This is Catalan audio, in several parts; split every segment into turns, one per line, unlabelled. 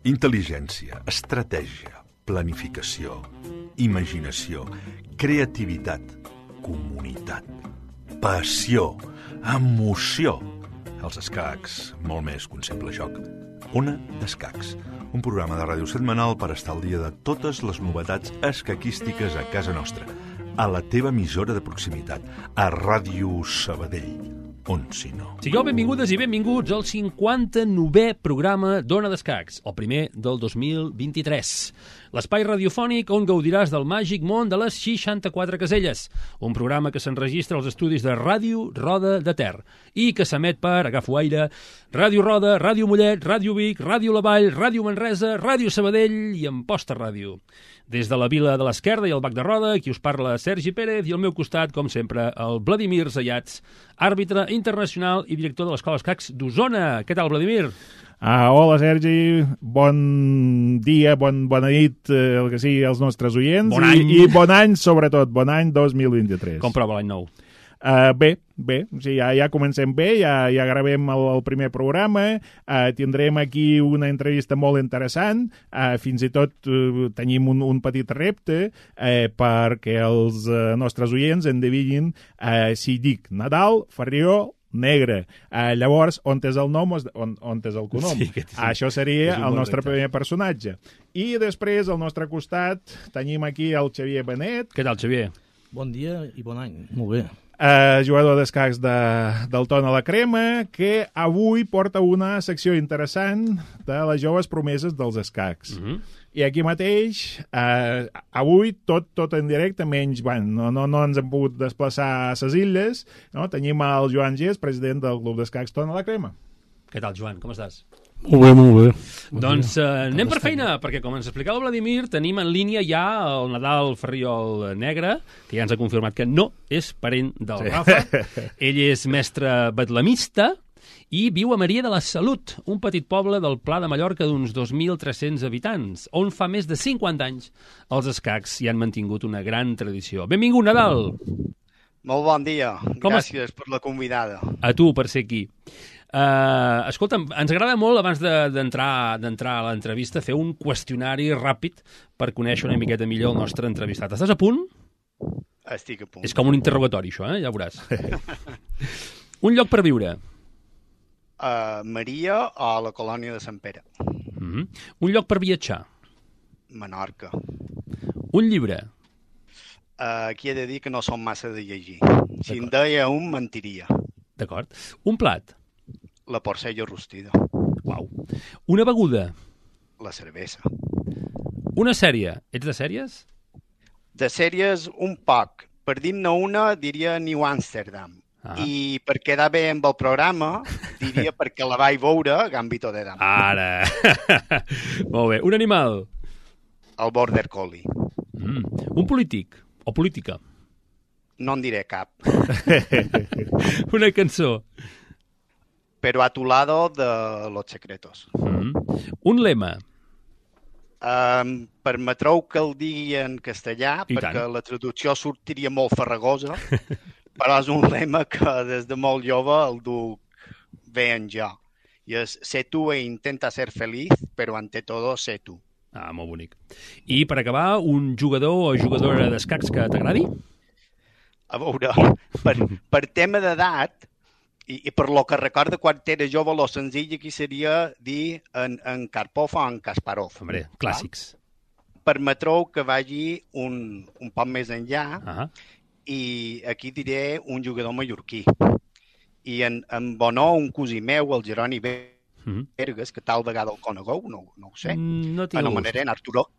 Intel·ligència, estratègia, planificació, imaginació, creativitat, comunitat, passió, emoció. Els escacs, molt més que un simple joc. Ona d'Escacs, un programa de ràdio setmanal per estar al dia de totes les novetats escaquístiques a casa nostra, a la teva emissora de proximitat, a Ràdio Sabadell. On si no.
Sigueu benvingudes i benvinguts al 59è programa d'Ona d'Escacs, el primer del 2023. L'espai radiofònic on gaudiràs del màgic món de les 64 caselles, un programa que s'enregistra als estudis de Ràdio Roda de Ter i que s'emet per, agafo aire, Ràdio Roda, Ràdio Mollet, Ràdio Vic, Ràdio La Vall, Ràdio Manresa, Ràdio Sabadell i Amposta Ràdio. Des de la Vila de l'Esquerda i el Bac de Roda, qui us parla Sergi Pérez, i al meu costat, com sempre, el Vladimir Zayats, àrbitre internacional i director de l'Escola Escacs d'Osona. Què tal, Vladimir?
Hola, Sergi. Bon dia, bona nit, el que sigui, als nostres oients.
Bon any.
I bon any, sobretot. Bon any 2023.
Com prova l'any nou?
Bé. O sigui, ja comencem bé, ja gravem el primer programa, tindrem aquí una entrevista molt interessant, fins i tot tenim un petit repte perquè els nostres oients endevinin si dic Nadal, Ferriol, Negre. Llavors, on és el nom, on és el cognom?
Sí.
Això seria el nostre primer personatge. I després, al nostre costat, tenim aquí el Xavier Benet.
Què tal, Xavier?
Bon dia i bon any. Molt bé.
Jugador d'escacs del Ton a la Crema, que avui porta una secció interessant de les joves promeses dels escacs. I aquí mateix, avui, tot en directe, menys, no ens hem pogut desplaçar a ses illes, no? Tenim el Joan Gés, president del Club d'Escacs Ton a la Crema.
Què tal, Joan? Com estàs?
Molt bé.
Doncs anem per feina, perquè com ens explicava el Vladimir, tenim en línia ja el Nadal Ferriol Negre, que ja ens ha confirmat que no és parent del Rafa. Ell és mestre betlemista i viu a Maria de la Salut, un petit poble del Pla de Mallorca d'uns 2.300 habitants, on fa més de 50 anys els escacs hi han mantingut una gran tradició. Benvingut, Nadal!
Molt bon dia. Gràcies per la convidada.
A tu per ser aquí. Escolta'm, ens agrada molt, abans d'entrar a l'entrevista, fer un qüestionari ràpid per conèixer una miqueta millor el nostre entrevistat. Estàs a punt?
Estic a punt.
És com un interrogatori, això, ja ho veuràs. Un lloc per viure.
Maria o la colònia de Sant Pere.
Un lloc per viatjar.
Menorca.
Un llibre.
Aquí he de dir que no som massa de llegir. Si en deia un, mentiria.
D'acord. Un plat.
La porcella rostida.
Uau. Una beguda.
La cervesa.
Una sèrie. Ets de sèries?
De sèries, un poc. Per dir-ne una, diria New Amsterdam. I per quedar bé amb el programa, diria perquè la vaig veure, Gambito de Dama.
Ara! Molt bé. Un animal.
El Border Collie.
Un polític. O política.
No en diré cap.
Una cançó.
Pero a tu lado de Los Secretos.
Un lema.
Permetreu que el digui en castellà, perquè la traducció sortiria molt farragosa, però és un lema que des de molt jove el duc bé en jo. I és, sé tu e intenta ser feliz, però ante todo sé tu.
Molt bonic. I per acabar, un jugador o jugadora d'escacs que t'agradi?
A veure, per tema d'edat, i per lo que recordo quan era jove, lo senzill aquí seria dir en Karpov o en Kasparov.
Hombre, clàssics.
Permetreu que vagi un poc més enllà i aquí diré un jugador mallorquí. I en honor un cosí meu, el Jeroni Bergues, que tal vegada el conegueu, no ho sé.
No tinc
anomenaré Arturo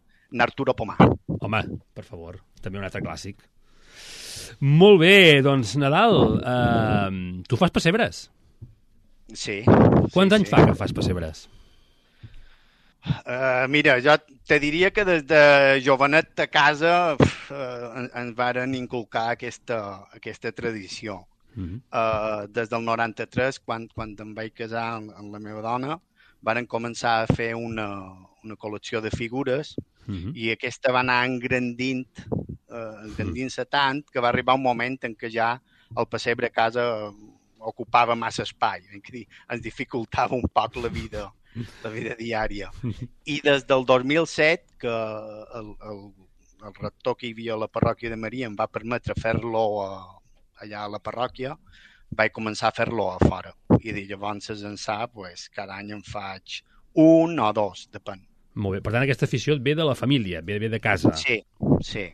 Pomar.
Home, per favor, també un altre clàssic. Molt bé, doncs Nadal, tu fas pessebres?
Sí.
Quants anys fa que fas pessebres?
Mira, jo te diria que des de jovenet a casa ens varen inculcar aquesta tradició. Des del 93, quan em vaig casar amb la meva dona, varen començar a fer una col·lecció de figures i aquesta va anar engrandint-se tant que va arribar un moment en què ja el pessebre a casa ocupava massa espai, ens dificultava un poc la vida la vida diària. I des del 2007, que el rector que hi havia a la parròquia de Maria em va permetre fer-lo allà a la parròquia, vaig començar a fer-lo a fora. I de llavors ençà, pues, cada any en faig un o dos, depèn.
Molt bé. Per tant, aquesta afició et ve de la família, ve de casa.
Sí, sí.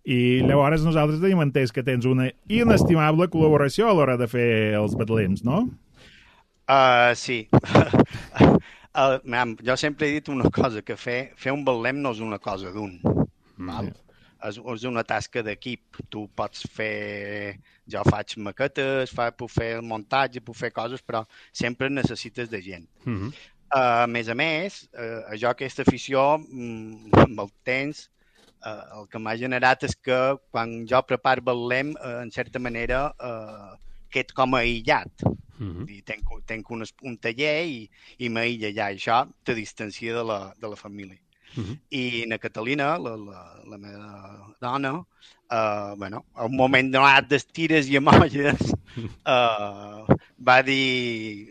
I llavors nosaltres tenim entès que tens una inestimable col·laboració a l'hora de fer els betlems, no?
Sí. Jo sempre he dit una cosa, que fer un betlem no és una cosa d'un. Val? És una tasca d'equip. Tu pots fer... Jo faig maquetes, puc fer el muntatge, puc fer coses, però sempre necessites de gent. A més, jo aquesta afició, amb el temps, el que m'ha generat és que quan jo preparo betlem, en certa manera, quedo com aïllat. Tenc un taller i m'aïlla allà. I això te distancia de la família. I na Catalina, la meva dona, a un moment donat d'estires i amolles, va dir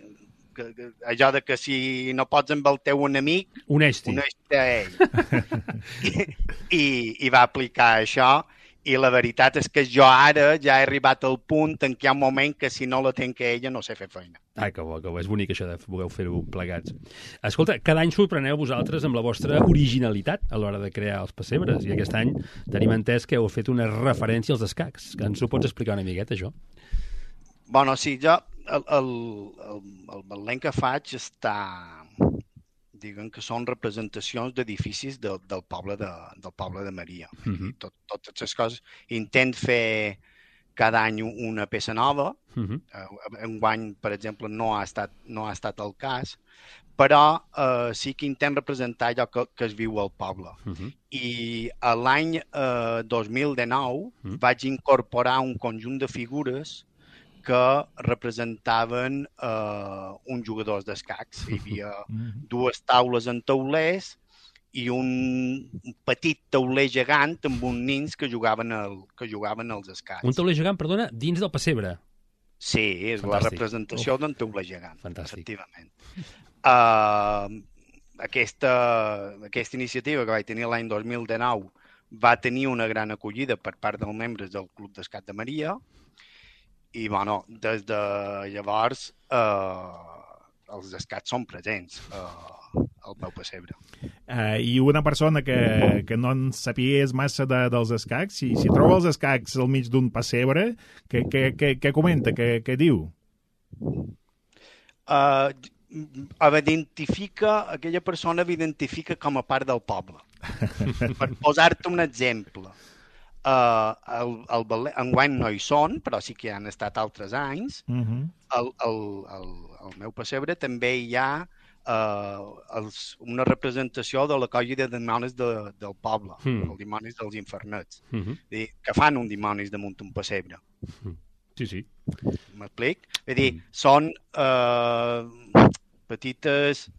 allò de que si no pots amb el teu enemic,
Uneix-t'hi
a ell. I va aplicar això. I la veritat és que jo ara ja he arribat al punt en què hi ha un moment que si no la tenc a ella no sé fer feina.
Que bo. És bonic això de poder fer-ho plegats. Escolta, cada any sorpreneu vosaltres amb la vostra originalitat a l'hora de crear els pessebres, i aquest any tenim entès que heu fet una referència als escacs. Ens ho pots explicar una miqueta, això?
Bueno, sí, jo el betlem que faig està... Diguen que són representacions d'edificis del poble de Maria. Totes les coses. Intent fer cada any una peça nova. Enguany, per exemple, no ha estat el cas, però sí que intent representar allò que es viu al poble. I l'any 2019 vaig incorporar un conjunt de figures que representaven uns jugadors d'escacs. Hi havia dues taules en taulers i un petit tauler gegant amb uns nins que jugaven als escacs.
Un tauler gegant, perdona, dins del pessebre.
Sí, és la representació d'un tauler gegant.
Fantàstic.
Efectivament. Aquesta iniciativa que vaig tenir l'any 2019 va tenir una gran acollida per part dels membres del Club d'Escat de Maria. I, bueno, des de llavors els escats són presents al meu pessebre.
I una persona que no en sapies massa dels escacs, si troba els escacs al mig d'un pessebre, què comenta, què diu?
Aquella persona m'identifica com a part del poble. Per posar-te un exemple, enguany no hi són, però sí que hi han estat altres anys. Al meu pessebre també hi ha una representació de la colla de dimonis del poble, els dimonis dels infernets, que fan un dimonis damunt un pessebre.
Sí.
M'explic? Vull dir, són petites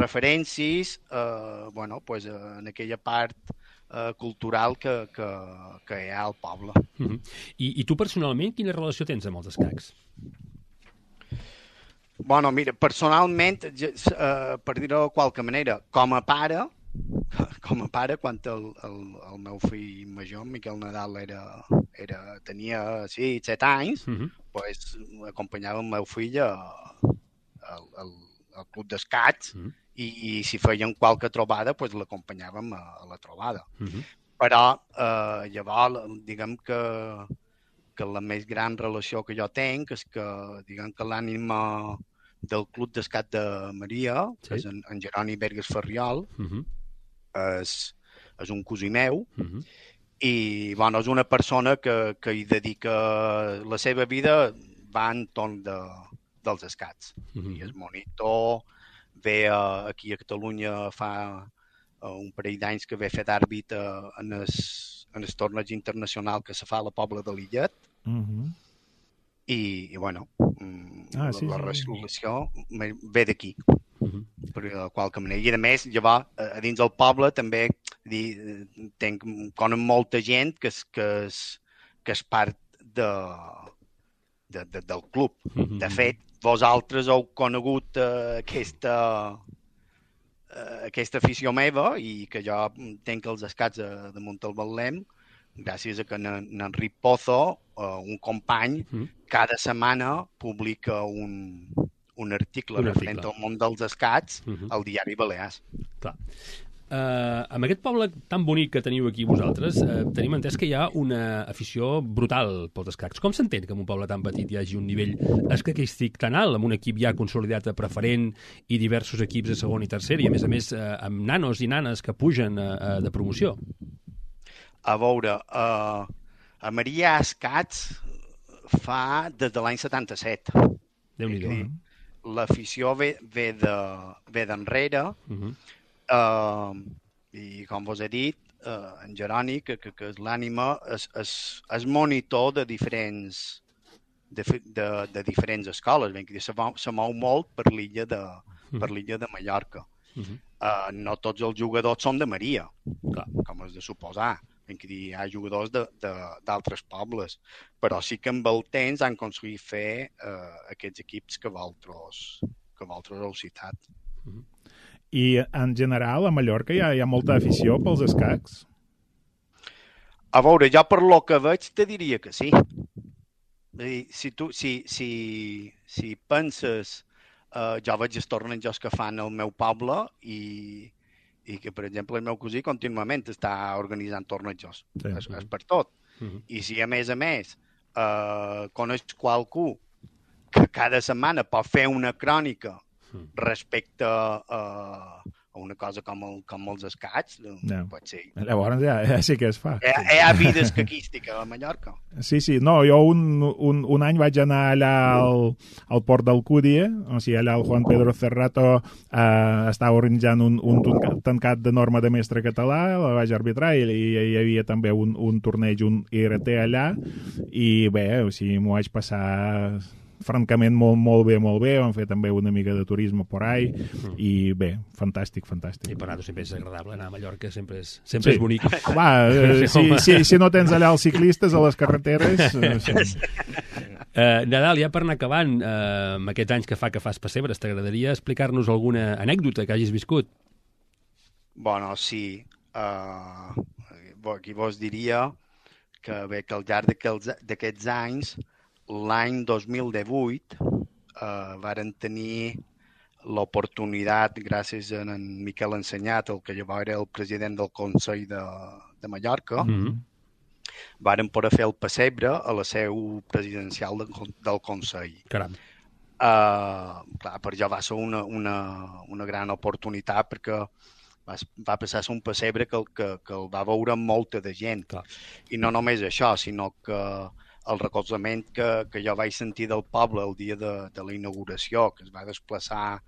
referències en aquella part cultural que hi ha al poble.
I tu personalment quina relació tens amb els escacs?
Bueno, mira, personalment, per dir-ho de qualque manera, com a pare, quan el meu fill major, Miquel Nadal, tenia 7 anys, pues, acompanyava el meu fill al club d'escacs, i si feien qualque trobada, pues, l'acompanyàvem a la trobada. Però llavors, diguem que la més gran relació que jo tinc és que, diguem que l'ànima del Club d'Escat de Maria, que és en Jeroni Bergues Ferriol, és un cosí meu, i bueno, és una persona que hi dedica la seva vida, va entorn dels escats. I és monitor, ve aquí a Catalunya fa un parell d'anys que ve a fer d'àrbit en el torneig internacional que se fa a la Pobla de Lillet. I bueno, la resolució ve d'aquí, per qualque manera. I a més, llavors, a dins del poble també conec molta gent que és part del club. De fet, vosaltres heu conegut aquesta afició meva i que jo tenc els escats damunt el Betlem gràcies a que n'Enric Pozo, un company, cada setmana publica un article referent al món dels escats al diari Balears.
Clar. Amb aquest poble tan bonic que teniu aquí vosaltres, tenim entès que hi ha una afició brutal pels escacs. Com s'entén que en un poble tan petit hi hagi un nivell escaquístic tan alt, amb un equip ja consolidat a preferent i diversos equips de segon i tercer, i a més amb nanos i nanes que pugen de promoció?
A veure, a Maria Escats fa des de l'any 77.
Déu-n'hi-do.
L'afició ve d'enrere, i com vos he dit, en Jeroni, que és l'ànima, és monitor de diferents escoles. Se mou molt per l'illa de Mallorca. No tots els jugadors són de Maria, com és de suposar. Hi ha jugadors d'altres pobles, però sí que amb el temps han aconseguit fer aquests equips que vosaltres heu citat.
I en general a Mallorca hi ha molta afició pels escacs?
A veure, jo per lo que veig te diria que sí. Si penses, jo veig els tornejos que fan al meu poble i que, per exemple, el meu cosí contínuament està organitzant tornejos. És per tot. I si, a més, coneix qualcú que cada setmana pot fer una crònica respecte a una cosa com els escacs, pot ser.
Llavors ja sí que es fa.
Hi ha vida escaquística a Mallorca.
Sí, no, jo un any vaig anar allà al port d'Alcúdia, o sigui, allà el Juan Pedro Cerrato estava organitzant un tancat de norma de mestre català, la vaig arbitrar i hi havia també un torneig, un IRT allà, i bé, o sigui, m'ho vaig passar francament molt bé, vam fer també una mica de turisme por ahí, i bé, fantàstic.
I per nosaltres sempre és agradable anar a Mallorca, sempre és bonic.
Va, si no tens allà els ciclistes a les carreteres...
Nadal, ja per anar acabant, amb aquests anys que fas pessebres, t'agradaria explicar-nos alguna anècdota que hagis viscut?
Bueno, sí. Aquí vos diria que al llarg d'aquests anys, l'any 2018, varen tenir l'oportunitat, gràcies a en Miquel Ensenyat, el que llavors era el president del Consell de Mallorca, varen poder fer el pessebre a la seu presidencial del Consell.
Caram.
Clar, per jo va ser una gran oportunitat perquè va passar a ser un pessebre que el va veure molta de gent. Clar. I no només això, sinó que el recolzament que jo vaig sentir del poble el dia de la inauguració, que es va desplaçar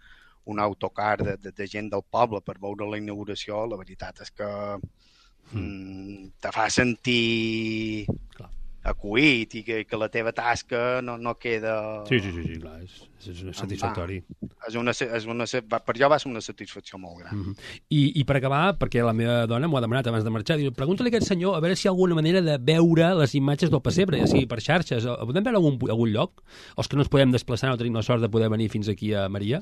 un autocar de gent del poble per veure la inauguració, la veritat és que te fa sentir acollit i que la teva tasca no queda...
Sí, clar, és satisfactori.
Per jo va ser una satisfacció molt gran.
I per acabar, perquè la meva dona m'ho ha demanat abans de marxar, diu, pregunta-li a aquest senyor a veure si hi ha alguna manera de veure les imatges del pessebre, ja sigui per xarxes, ho podem veure a algun lloc? O és que no ens podem desplaçar, no tenim la sort de poder venir fins aquí a Maria?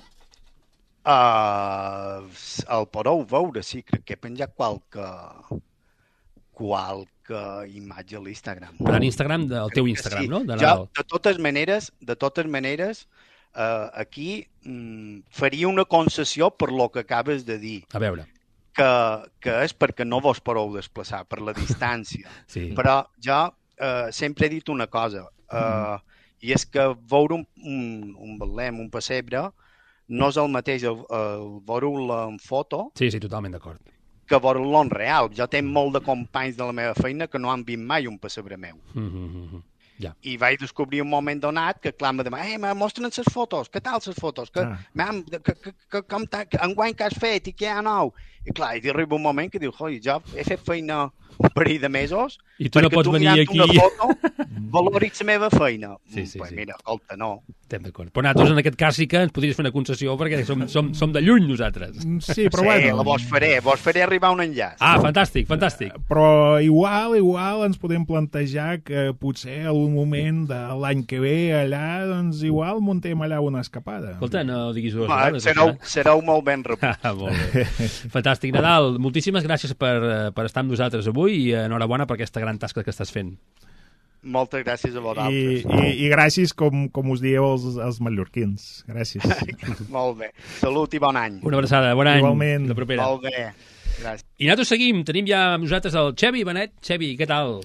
El podeu veure, sí, crec que he penjat qualque imatge a l'Instagram.
Per l'Instagram, del teu Instagram, sí. No?
De totes maneres, aquí faria una concessió per lo que acabes de dir.
A veure.
Que és perquè no vos podeu desplaçar, per la distància.
Sí.
Però jo sempre he dit una cosa, i és que veure un Betlem, un pessebre, no és el mateix veure-ho en foto...
Sí, totalment d'acord.
Que veure-lo en real. Jo tinc molt de companys de la meva feina que no han vist mai un pessebre meu.
Ja.
I vaig descobrir un moment donat que, clar, me demana, mostren les fotos, què tal les fotos? Enguany que has fet i què hi ha nou? I clar, hi arriba un moment que diu, jo he fet feina un parell de mesos
i tu no pots venir aquí
una foto valoris la meva feina.
Sí.
Mira, escolta, no.
Estem d'acord. Però nosaltres en aquest cas sí que ens podries fer una concessió perquè som de lluny nosaltres.
Sí, però bueno.
Vos faré arribar un enllaç.
Fantàstic.
Però igual ens podem plantejar que potser algun moment de l'any que ve allà, doncs igual muntem allà una escapada.
Escolta, no diguis dues vegades.
Sereu molt ben rebuts.
Molt bé. Fantàstic. Nadal, moltíssimes gràcies per estar amb nosaltres avui i enhorabona per aquesta gran tasca que estàs fent.
Moltes gràcies a vosaltres.
I gràcies, com us dieu els mallorquins. Gràcies.
Molt bé. Salut i bon any.
Una abraçada, bon any.
Igualment.
La propera.
Molt bé. Gràcies.
I nosaltres seguim. Tenim ja amb nosaltres el Xevi Benet. Xevi, què tal?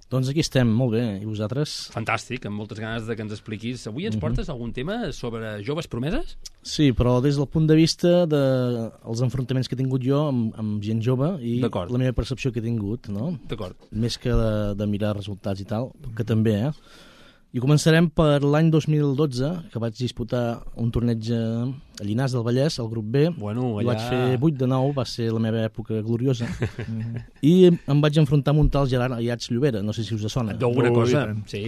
Doncs aquí estem, molt bé. I vosaltres?
Fantàstic, amb moltes ganes de que ens expliquis. Avui ens portes algun tema sobre joves promeses?
Sí, però des del punt de vista dels enfrontaments que he tingut jo amb gent jove i la meva percepció que he tingut, no?
D'acord.
Més que de mirar resultats i tal, que també, I començarem per l'any 2012, que vaig disputar un torneig a Llinars del Vallès, al grup B.
Bueno, allà...
I vaig fer 8 de 9, va ser la meva època gloriosa. I em vaig enfrontar amb un tal Gerard Ayats Llobera, no sé si us sona.
D'alguna cosa, sí.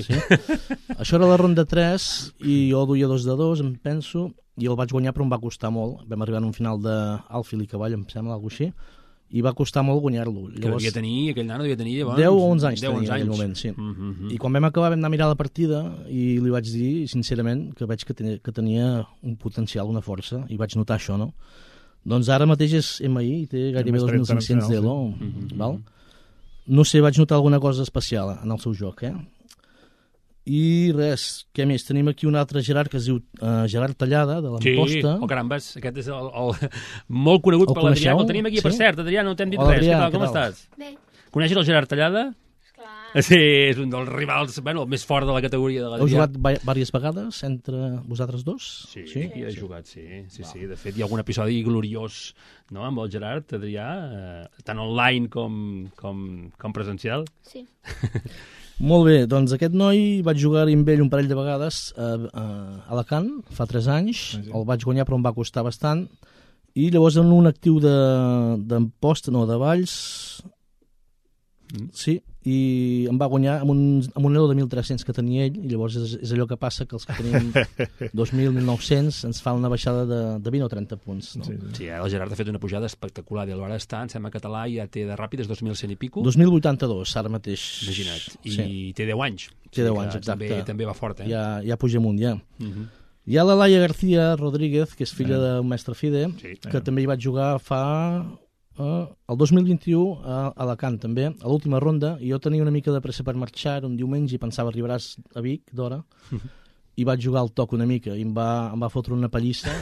Això era la ronda 3 i jo duia 2 de 2, em penso, i el vaig guanyar però em va costar molt. Vam arribar en un final d'Alfil i Cavall, em sembla, alguna cosa així, i va costar molt guanyar-lo.
Llavors, aquell nano devia tenir...
10 o 11 anys tenia en aquell moment, sí. I quan vam acabar vam anar a mirar la partida i li vaig dir, sincerament, que veig que tenia un potencial, una força, i vaig notar això, no? Doncs ara mateix és MI i té gairebé 2.500 d'Elo, val? No sé, vaig notar alguna cosa especial en el seu joc, I res, què més? Tenim aquí un altre Gerard que es diu Gerard Tallada, de l'Amposta.
Sí, carambes, aquest és el molt conegut per l'Adrià, que el tenim aquí, per cert. Adrià, no t'hem dit res. Què tal, com estàs?
Bé.
Coneixes el Gerard Tallada?
Esclar.
Sí, és un dels rivals, el més fort de la categoria de l'Adrià.
Heu jugat diverses vegades entre vosaltres dos?
Sí, hi he jugat, sí. De fet, hi ha algun episodi gloriós, no?, amb el Gerard, Adrià, tant online com presencial.
Sí.
Molt bé, doncs aquest noi vaig jugar amb ell un parell de vegades a Alacant, fa 3 anys, el vaig guanyar però em va costar bastant, i llavors en un actiu d'Amposta, no, de Valls, sí, i em va guanyar amb un elo de 1.300 que tenia ell, i llavors és allò que passa que els que tenim 2.000, 1.900 ens fa una baixada de 20 o 30 punts. No?
Sí, el Gerard ha fet una pujada espectacular i ara està, em sembla, català, ja té de ràpides 2.100 i pico.
2.082 ara mateix.
Imagina't, i té 10 anys.
Té 10 anys, exacte.
També va fort,
Ja puja amunt, ja. Hi ha la Laia García Rodríguez, que és filla d'un mestre FIDE, que també hi vaig jugar el 2021 a Alacant també, a l'última ronda, i jo tenia una mica de pressa per marxar un diumenge i pensava arribaràs a Vic d'hora, i vaig jugar al toc una mica i em va fotre una pallissa.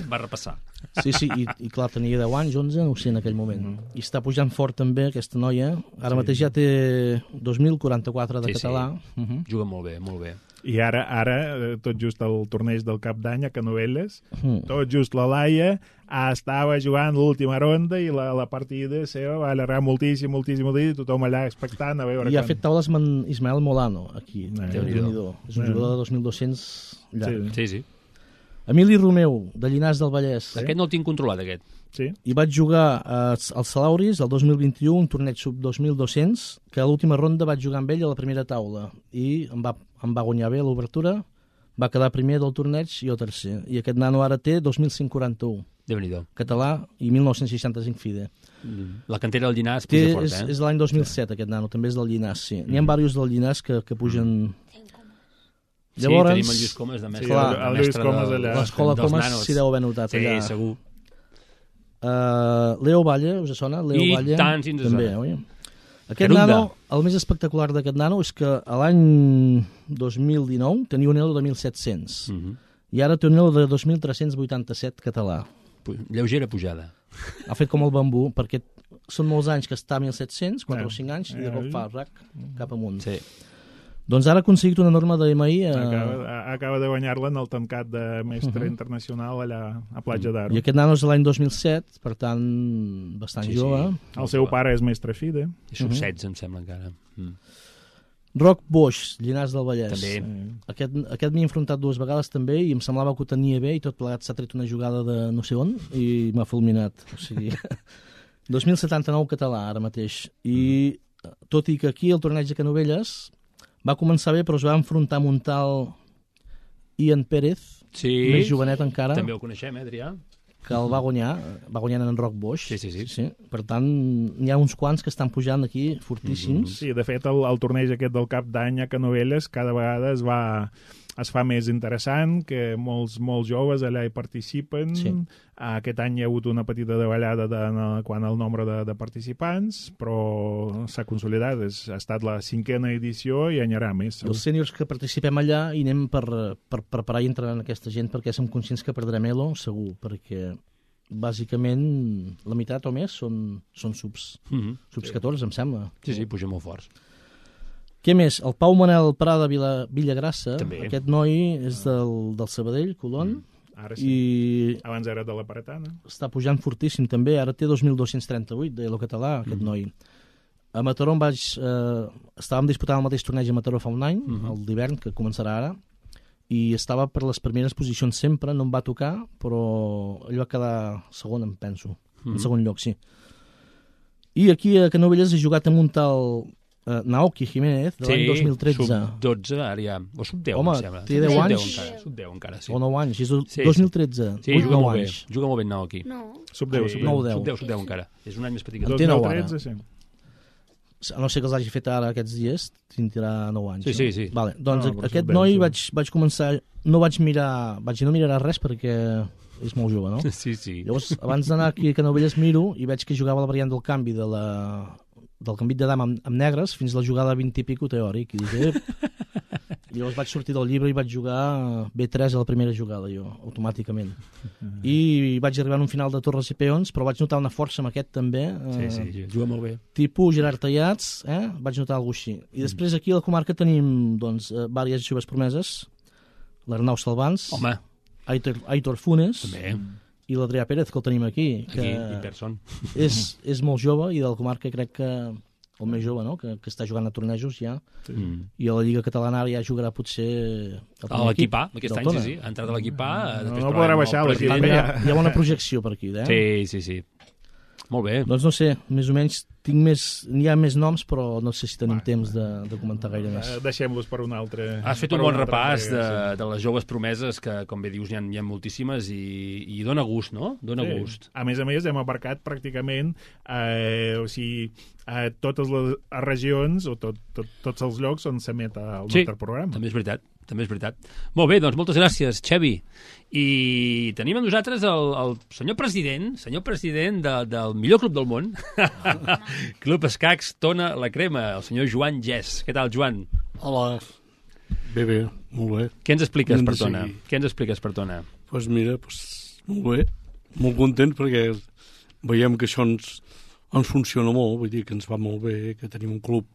Va repassar.
Sí, i clar, tenia 10 anys, 11, no ho sé en aquell moment. I està pujant fort també aquesta noia, ara mateix ja té 2.044 de català.
Juga molt bé, molt bé.
I ara, tot just el torneig del cap d'any a Canovelles, tot just la Laia estava jugant l'última ronda i la partida seva va allargar moltíssim, i tothom allà expectant a veure...
I ha fet taules amb Ismael Molano, aquí. Déu-n'hi-do. És un jugador de 2.200 llarg.
Sí.
Emili Romeu, de Llinars del Vallès.
Aquest no el tinc controlat, aquest.
Sí.
I vaig jugar als Salauris el 2021, un torneig sub 2.200, que a l'última ronda vaig jugar amb ell a la primera taula i em va guanyar bé l'obertura, va quedar primer del torneig i jo tercer. I aquest nano ara té 2.141.
Déu-n'hi-do.
Català i 1.965 FIDE.
La cantera del Llinars puja fort,
És l'any 2007, aquest nano, també és del Llinars, sí. N'hi ha diversos del Llinars que pugen...
Llavors, tenim el Lluís Comas de mestre.
El Lluís Comas allà.
L'escola Comas s'hi deu haver notat allà.
Sí, segur.
Leo Valle, us sona? Leo Valle,
tant, sí,
també, oi? Aquest nano, el més espectacular d'aquest nano és que a l'any 2019 tenia un elo de 1.700 i ara té un elo de 2.387 català.
Lleugera pujada.
Ha fet com el bambú, perquè són molts anys que està a 1.700, 4 o 5 anys, i de cop fa rac cap amunt.
Sí.
Doncs ara ha aconseguit una norma de MI...
Acaba de guanyar-la en el tancat de mestre internacional allà a Platja d'Aro.
I aquest nano és l'any 2007, per tant, bastant jove.
El seu pare és mestre FIDE.
I sub 16, em sembla, encara.
Roc Boix, Llinars del Vallès.
També.
Aquest m'hi he enfrontat 2 vegades també i em semblava que ho tenia bé i tot plegat s'ha tret una jugada de no sé on i m'ha fulminat. O sigui, 2079 català ara mateix. I tot i que aquí el torneig de Canovelles va començar bé, però es va enfrontar amb un tal Ian Pérez, més jovenet encara.
També el coneixem, Adrià?
que el va guanyar en Roc Boix.
Sí.
Per tant, n'hi ha uns quants que estan pujant aquí fortíssims.
Sí, de fet, el torneig aquest del cap d'any a Canovelles cada vegada es fa més interessant, que molts joves allà hi participen.
Sí.
Aquest any hi ha hagut una petita davallada quant al nombre de participants, però s'ha consolidat. Ha estat la 5a edició i anyarà més.
Els sèniors que participem allà i anem per preparar i entrar en aquesta gent perquè som conscients que perdrem Elo, segur, perquè bàsicament la meitat o més són subs 14, em sembla.
Sí, puja molt forts.
Què més? El Pau Manel Prada Villagrassa,
també.
Aquest noi és del Sabadell, Colón,
Ara sí.
I
abans era de la Paretana.
Està pujant fortíssim també, ara té 2.238 de lo català, aquest noi. A Mataró estàvem disputant el mateix torneig a Mataró fa un any, el d'hivern, que començarà ara, i estava per les primeres posicions sempre, no em va tocar, però ell va quedar segon, em penso, en segon lloc, sí. I aquí a Canovelles he jugat amb un tal Naoki Jiménez, de l'any 2013.
Sub-12, ara ja, o sub-10,
home,
em sembla.
té 10 anys.
Sub-10 encara, sí.
O 9 anys, és 2013.
Sí, juga molt bé el Naoki.
No.
Sub-10.
Sub-10 encara. És un any més petit que
el té 9 ara.
2013, sí.
A no ser que els hagi fet ara aquests dies, tindrà 9 anys.
Sí.
Vale, doncs
No,
aquest
sub-10,
noi
sí.
vaig començar... No vaig mirar... Vaig dir, no mirarà res perquè és molt jove, no?
Sí.
Llavors, abans d'anar aquí a Canovelles miro i veig que jugava la variant del canvi del canvit de dama amb negres fins a la jugada 20 i pico teòric. I dic, I llavors vaig sortir del llibre i vaig jugar B3 a la primera jugada, jo, automàticament. I vaig arribar a un final de torres i peons, però vaig notar una força amb aquest també.
Sí, juga molt bé.
Tipus Gerard Tallats, vaig notar alguna cosa així. I després aquí a la comarca tenim doncs, diverses joves promeses, l'Arnau Salvans,
Home.
Aitor Funes,
També.
i l'Adrià Pérez, que el tenim aquí.
Aquí, in person.
És molt jove i de la comarca crec que el més jove, no? que està jugant a tornejos ja. I a la Lliga Catalana ara ja jugarà potser
a l'equip A, aquest any, sí. Ha entrat a l'equip A.
No podrà baixar l'equip A.
Hi ha una projecció per aquí,
Sí. Molt bé.
Doncs no sé, més o menys n'hi ha més noms, però no sé si tenim temps de comentar gaire més.
Deixem-los per un altre...
Has fet un bon repàs de les joves promeses, que, com bé dius, n'hi ha moltíssimes, i dona gust, no? Dona gust.
A més, hem abarcat pràcticament totes les regions o tots els llocs on s'emet el nostre programa.
També és veritat. Molt bé, doncs moltes gràcies, Xevi. I tenim amb nosaltres el senyor president del millor club del món, Club Escacs Tona la Crema, el senyor Joan Gès. Què tal, Joan?
Hola. Bé, molt bé.
Què ens expliques per Tona?
Doncs mira, molt bé. Molt content perquè veiem que això ens funciona molt, vull dir que ens va molt bé, que tenim un club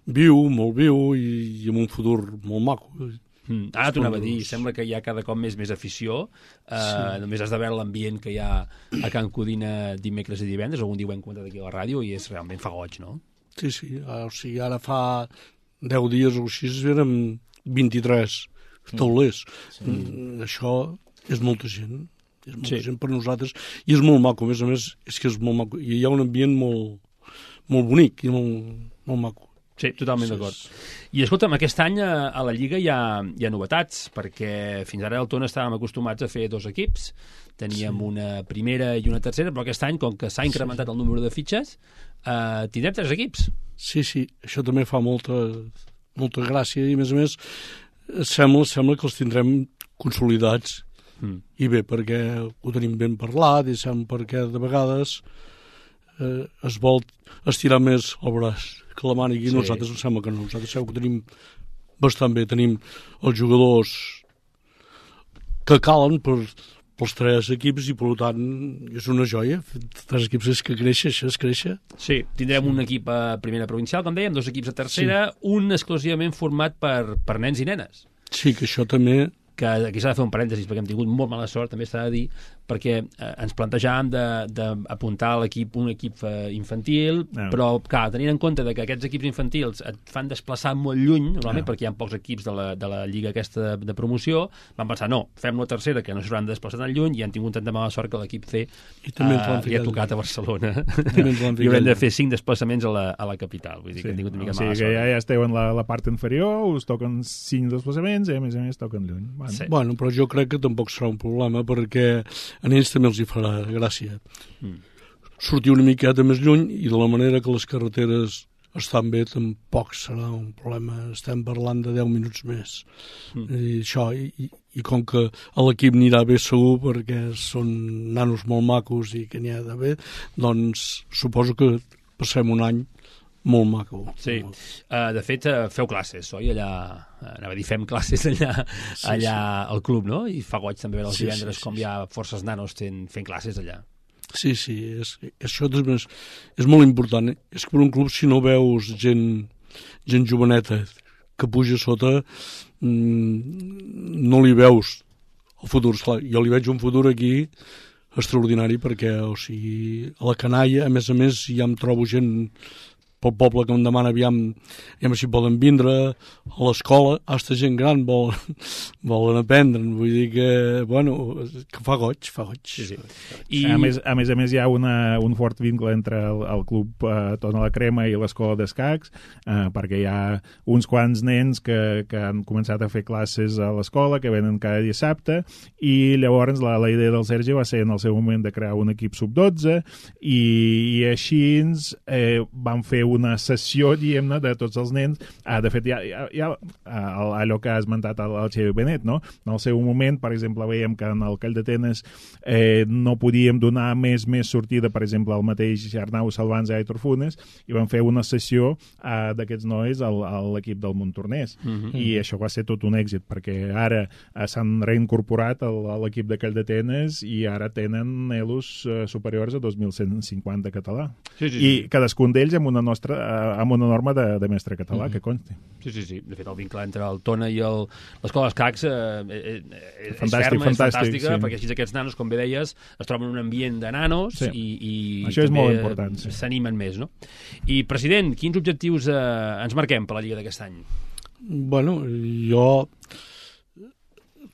molt viu i amb un futur molt maco.
Ara t'ho anava a dir, sembla que hi ha cada cop més afició. Només has de veure l'ambient que hi ha a Can Codina dimecres i divendres, algun dia ho hem comentat aquí a la ràdio, i realment fa goig, no?
Sí, o sigui, ara fa 10 dies o així érem 23 taulers. Això és molta gent. És molta gent per nosaltres i és molt maco, a més és que és molt maco i hi ha un ambient molt bonic i molt maco.
Sí, totalment d'acord. I escolta'm, aquest any a la Lliga hi ha novetats, perquè fins ara al Tona estàvem acostumats a fer 2 equips, teníem una primera i una tercera, però aquest any, com que s'ha incrementat el número de fitxes, tindrem 3 equips.
Sí, això també fa molta gràcia i a més sembla que els tindrem consolidats. I bé, perquè ho tenim ben parlat i sembla perquè de vegades es vol estirar més el braç que la màniga i nosaltres em sembla que no. Nosaltres sabeu que tenim bastant bé, tenim els jugadors que calen pels 3 equips i per tant és una joia. 3 equips és que créixer, això és créixer.
Sí, tindrem un equip a primera provincial, com dèiem, 2 equips a tercera, un exclusivament format per nens i nenes.
Sí, que això també...
Que aquí s'ha de fer un parèntesis perquè hem tingut molt mala sort, també s'ha de dir, perquè ens plantejàvem d'apuntar a un equip infantil, però clar, tenint en compte que aquests equips infantils et fan desplaçar molt lluny, normalment perquè hi ha pocs equips de la lliga aquesta de promoció, vam pensar, no, fem la tercera, que no s'hauran de desplaçar tan lluny, i han tingut tanta mala sort que l'equip C li ha tocat a Barcelona. I haurem de fer 5 desplaçaments a la capital, vull dir que hem tingut una mica mala sort. O sigui
que ja esteu en la part inferior, us toquen 5 desplaçaments i a més toquen lluny.
Sí. Bueno, però jo crec que tampoc serà un problema perquè a ells també els hi farà gràcia. Sortir una miqueta més lluny i de la manera que les carreteres estan bé tampoc serà un problema. Estem parlant de 10 minuts més. I això, i com que l'equip anirà bé segur perquè són nanos molt macos i que n'hi ha de bé, doncs suposo que passem un any molt maco.
Sí. De fet, feu classes, oi? Allà, anava a dir, fem classes allà al club, no? I fa goig també els divendres com hi ha forces nanos fent classes allà.
Sí, això és molt important. És que per un club, si no veus gent joveneta que puja sota, no li veus el futur. Esclar, jo li veig un futur aquí extraordinari perquè, o sigui, a la canalla, a més, ja em trobo gent pel poble que em demana aviam si poden vindre a l'escola, hasta gent gran volen aprendre, vull dir que, bueno, que fa goig. Sí.
I a més hi ha un fort vincle entre el club Tona la Crema i l'escola d'escacs, perquè hi ha uns quants nens que han començat a fer classes a l'escola, que venen cada dissabte, i llavors la idea del Sergi va ser en el seu moment de crear un equip sub-12 i així van fer una sessió, diguem-ne, de tots els nens. De fet, hi ha allò que ha esmentat el Xavi Benet, no? En el seu moment, per exemple, veiem que en el Call d'Atenes no podíem donar més sortida, per exemple, al mateix Arnau Salvans i Aitor Funes, i van fer una sessió d'aquests nois a l'equip del Montornès. I això va ser tot un èxit, perquè ara s'han reincorporat a l'equip de Call d'Atenes i ara tenen elos superiors a 2.150 català. Sí. I cadascun d'ells amb una norma de mestre català, que consti.
Sí. De fet, el vincle entre el Tona i l'escola d'escacs és fantàstica, perquè així aquests nanos, com bé deies, es troben en un ambient de nanos i
això és molt important.
S'animen més, no? I, president, quins objectius ens marquem per la Lliga d'aquest any?
Bueno, jo,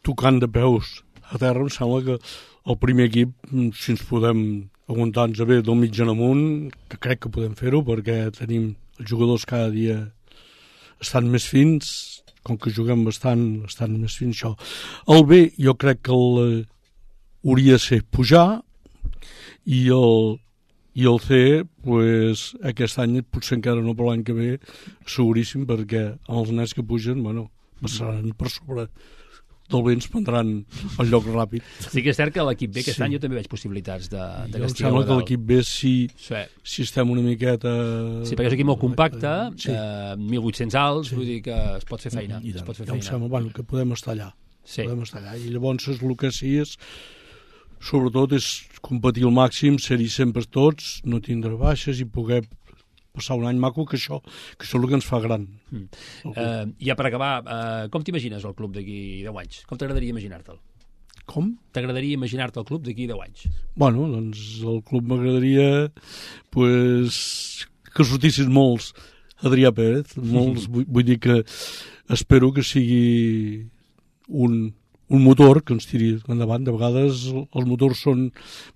tocant de peus a terra, em sembla que el primer equip, si ens podem aguantar-nos bé del mig en amunt, que crec que podem fer-ho perquè tenim els jugadors cada dia estan més fins, com que juguem bastant, estan més fins això. El B jo crec que hauria de ser pujar i el C, pues, aquest any potser encara no, però l'any que ve seguríssim, perquè els nens que pugen, bueno, passaran per sobre del bé, ens prendran el lloc ràpid.
Sí que és cert que l'equip B aquest any jo també veig possibilitats de
castigar. Em sembla que l'equip B, si estem una miqueta...
Sí, perquè és un equip molt compacte, 1.800 alts, vull dir que es pot fer feina.
Em sembla, bueno, que podem estar allà. Podem estar allà. I llavors el que sí és, sobretot, és competir al màxim, ser-hi sempre tots, no tindre baixes i poder passar un any maco, que això és el que ens fa gran.
Ja per acabar, com t'imagines el club d'aquí 10 anys? Com t'agradaria imaginar-te'l?
Com?
T'agradaria imaginar-te el club d'aquí 10 anys?
Bueno, doncs el club m'agradaria que sortissin molts Adrià Pérez, molts, vull dir que espero que sigui un motor que ens tiri endavant. De vegades els motors són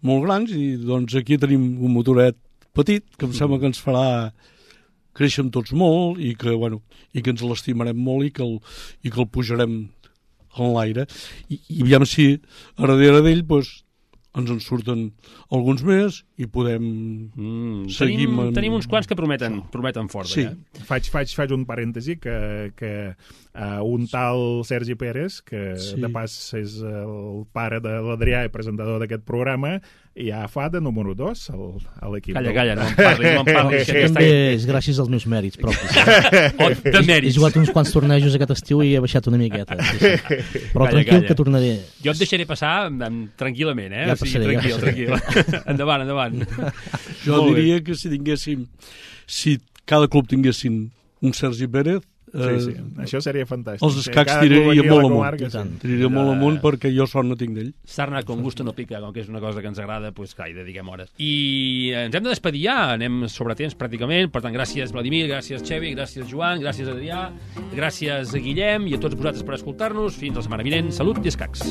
molt grans i doncs aquí tenim un motoret petit, que em sembla que ens farà créixer amb tots molt i que ens l'estimarem molt i que el pujarem en l'aire. I aviam si a darrere d'ell ens en surten alguns més i podem seguir...
Tenim uns quants que prometen fort.
Sí.
Faig un parèntesi que un tal Sergi Pérez, que de pas és el pare de l'Adrià i presentador d'aquest programa, ja fa de número 2 a l'equip.
Calla, no em parlis.
També és gràcies als meus mèrits propis.
De mèrits.
He jugat uns quants tornejos aquest estiu i he baixat una miqueta. Però tranquil, que tornaré.
Jo et deixaré passar tranquil·lament, eh?
Ja passaré.
Tranquil. Endavant.
Jo diria que si cada club tinguessin un Sergi Pérez,
sí. Això seria fantàstic.
Els escacs tiraria molt amunt. Tiraria molt amunt perquè jo sort no tinc d'ell.
Sarna con gusto no pica, com que és una cosa que ens agrada, doncs clar, hi dediquem hores. I ens hem de despedir ja, anem sobre temps pràcticament, per tant, gràcies Vladimir, gràcies Xevi, gràcies Joan, gràcies Adrià, gràcies a Guillem i a tots vosaltres per escoltar-nos. Fins la setmana vinent. Salut i escacs.